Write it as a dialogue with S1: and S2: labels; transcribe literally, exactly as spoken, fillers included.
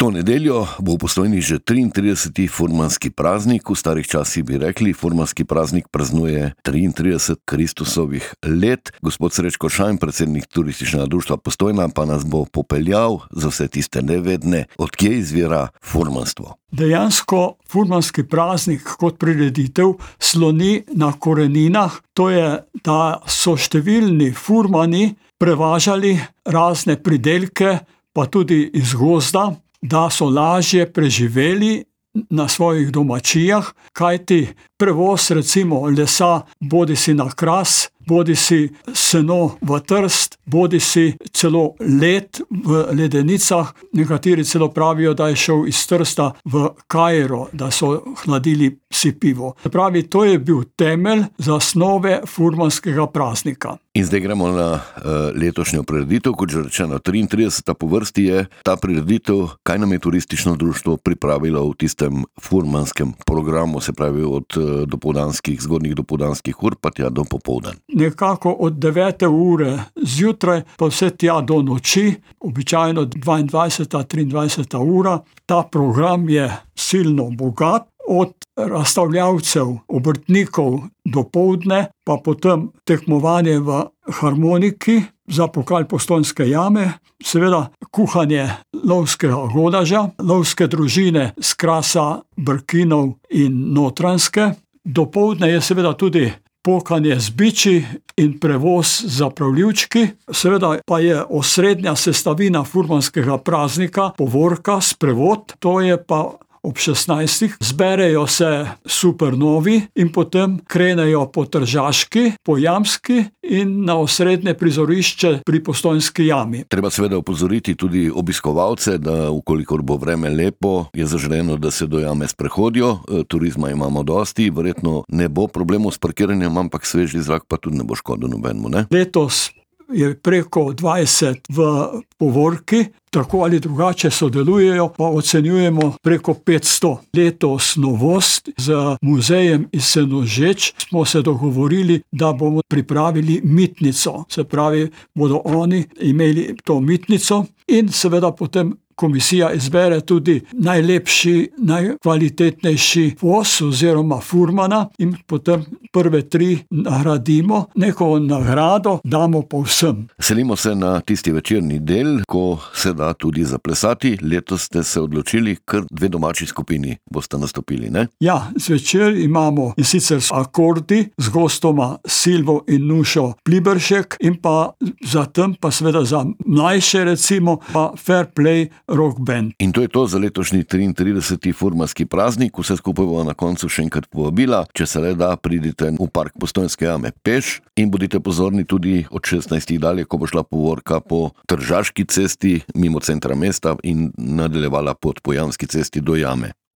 S1: To nedeljo bo v Postojni že triintrideseti furmanski praznik. V starih časih bi rekli, furmanski praznik praznuje triintrideset Kristusovih let. Gospod Srečko Šajn, predsednik Turističnega društva Postojna, pa nas bo popeljal za vse tiste nevedne, odkje izvira furmanstvo.
S2: Dejansko furmanski praznik kot prireditev sloni na koreninah, to je, da so številni furmani prevažali razne pridelke, pa tudi iz gozda, da so lažje preživeli na svojih domačijah, kajti prevoz recimo lesa bodisi na Kras, bodisi seno v Trst, bodisi celo led v ledenicah. Nekateri celo pravijo, da je šel iz Trsta v Kairo, da so hladili si pivo. Pravi, to je bil temelj zasnove furmanskega praznika.
S1: In zdaj gremo na uh, letošnjo prireditev, kot že rečeno, triintrideseta po vrsti je ta prireditev. Kaj nam je turistično društvo pripravilo v tistem furmanskem programu, se pravi od uh, dopoldanskih, zgodnjih dopoldanskih ur pa tja do popoldan?
S2: Nekako od devete ure zjutraj pa vse tja do noči, običajno dvaindvajseta, triindvajseta ura. Ta program je silno bogat, od razstavljavcev, obrtnikov do poldne, pa potem tekmovanje v harmoniki za pokal Postojnske jame, seveda kuhanje lovskega godaža, lovske družine z Krasa, Brkinov in Notranjske. Dopoldne je seveda tudi pokanje z biči in prevoz za pravljivčki. Seveda pa je osrednja sestavina furmanskega praznika povorka, sprevod, to je pa ob šestnajstih. Zberejo se supernovi in potem krenejo po Tržaški, po Jamski in na osrednje prizorišče pri Postojnski jami.
S1: Treba seveda opozoriti tudi obiskovalce, da ukolikor bo vreme lepo, je zaželeno, da se do jame sprehodijo. Turizma imamo dosti, verjetno ne bo problemov s parkiranjem, ampak sveži zrak pa tudi ne bo škodil nobenemu, ne?
S2: Letos je preko dvajset v povorki, tako ali drugače sodelujejo, pa ocenjujemo preko petsto. Letos novost z muzejem iz Senožeč smo se dogovorili, da bomo pripravili mitnico. Se pravi, bodo oni imeli to mitnico in seveda potem komisija izbere tudi najlepši, najkvalitetnejši voz oziroma furmana in potem prve tri nagradimo, neko nagrado damo povsem.
S1: Selimo se na tisti večerni del, ko se da tudi zaplesati. Letos ste se odločili, kar dve domači skupini boste nastopili, ne?
S2: Ja, zvečer imamo in sicer akordi z gostoma Silvo in Nušo Pliberšek in pa zatem pa seveda za mlajše recimo pa Fair Play rock band.
S1: In to je to za letošnji triintrideseti furmanski praznik. Vse skupaj bo na koncu še enkrat povabila, če se le da, pridite v park Postojnske jame peš in bodite pozorni tudi od šestnajstih dalje, ko bo šla povorka po Tržaški cesti mimo centra mesta in nadaljevala pot po Jamski cesti do jame.